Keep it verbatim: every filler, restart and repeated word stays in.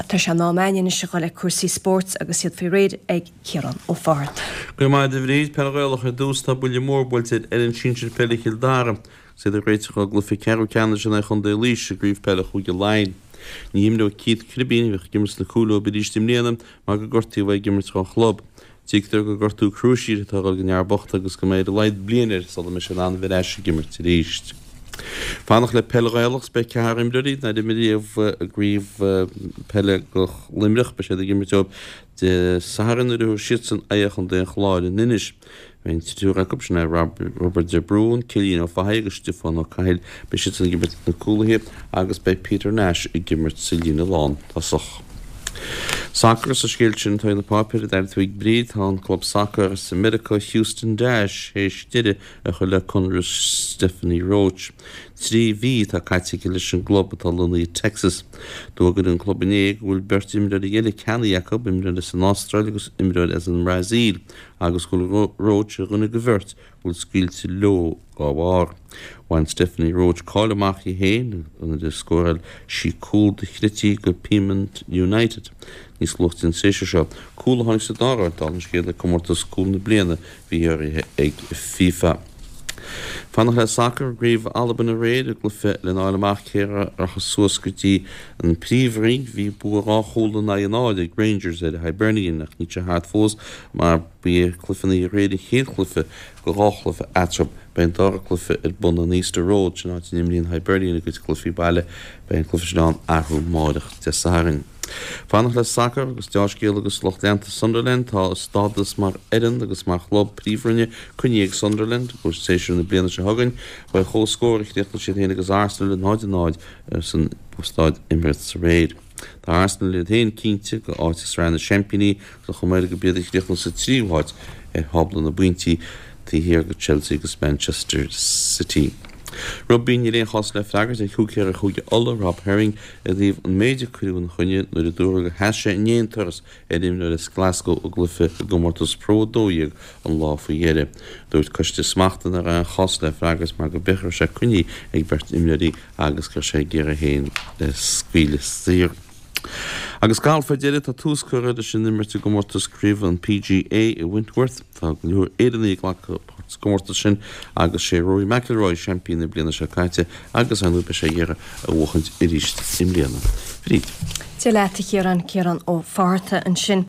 Tá sé in am againn anois a dhul le cúrsaí spóirt agus iad faoi réir ag Ciarán Ó Fátharta. Go raibh maith agat a Bhríd. Peil Ghaelach ar dtús, tá buille mór buailte ar fhoireann sinsir peile Chill Dara agus iad ag réiteach dá gcluiche ceathrú ceannais in aghaidh Chontae Laoise i gcraobh peile Chúige Laighean. Ní himreoidh Keith Cribín, a bhíodh ag imirt sna cúil leo arís i mbliana mar gur gortaíodh é ag imirt dhá chlub. Tuigtear gur gortú cruasíre atá ag dul don fhear bocht agus go mbeidh ar a laghad bliain air sula mbeidh sé in ann a bheith ar ais ag imirt arís. Fanacht le peil Ghaelach 's beidh ceathrar imreoirí nár imir riamh i gcraobh peile do Luimneach, beidh siad ag imirt dóibh Dé Sathairn nuair a thabharfaidh siadsan aghaidh ar Chontae an Chláir in Inis. Beidh an triúr acu, sin é Roibeard de Brún, Cillian Ó Fathaigh agus Stiofán Ó Cathail, beidh siadsan ag imirt na cúlaithe agus beidh Peter Nash ag imirt sa líne lántosach. Sacar sa scéal sin atá ag na páipéir, a d'airigh tú ag Bríd, tá an club sacair as Meiriceá, Houston Dash, théis deireadh a chur le conradh Stephanie Roche. Trí mhí atá caite aici leis an gclub atá lonnaithe i Texas. D'fhógair an club inné go bhfuil beirt imreoirí eile ceannaithe acu, imreoir as an Astráil agus imreoir as an mBrasaíl, agus go bhfuil Roche ar dhuine de bheirt a bhfuil scaoilte leo dá bharr. Bhain Stephanie Roche cáil amach di féin nuair a scóráil sí cúl dochreidte do Peamount United níos luaithe an séasúr seo, cúl a tháinig sa dara háit dála an scéil ag comórtas Cúl na Bliana a bhí urraithe ag FIFA. Fanacht le sacar i gCraobh Albain aréir i gcluiche lena fháil amach cé a rachas suas go dtí an Príomhroinn. Bhí bua dhá chúl in aghaidh a náid ag Rangers ar Hibernian ach níl sé thart fós mar ba é cluiche an oíche aréir an chéad chluiche de dhá chluiche eatarthu. Beidh an dara cluiche ar bun in Easter Road, sin áit a n-imríonn Hibernian a gcuid cluichí baile. Beidh an cluiche sin ann arú amáireach Dé Sathairn. Fanacht le sacar agus deá-scéala do lucht leanta Sunderland, tá a stádas mar fhoireann agus mar chlub príomhroinne coinnithe ag Sunderland do shéasúr na bliana seo chugainn. Ba ar comhscór a chríochnaigh siad féin agus Arsenal, a náid a náid, san staid Emirates aréir. Tá Arsenal iad féin cinnte de áit i Sraith na Seaimpíní agus an chuma air gurb iad a chríochnóidh sa tríú háit ar thábla na bpointí taobh thiar de Chelsea agus Manchester City. Rugbaí, níl aon chás le freagairt ag húicéir Chúige Uladh, Rob Herring, i dtaobh an méid a cuireadh ina choinne nuair a dúradh gur sheas sé in aon turas ar imreoir as Glasgow i gcluiche i gcomórtas Pro a dó dhéag an lá faoi dheireadh. Dúirt coiste smachta nach raibh aon chás le freagairt mar go bith go raibh sé coinnithe ag beirt imreoirí agus go raibh sé ag iarraidh é féin a scaoileadh saor. Agus galf ar deireadh, tá tús curtha leis an imirt i gcomórtas craoibhe an P G A i Wentworth. Tá go leor Éireannaigh ag glacadh páirt sa gcomórtas sin agus sé Rory McIlroy seaimpín na bliana seo caite agus ar ndóigh beidh sé ag iarraidh a bhuachaint arís i mbliana. Bríd. Dia leat a Chiaráin, Ciarán Ó Fátharta ansin.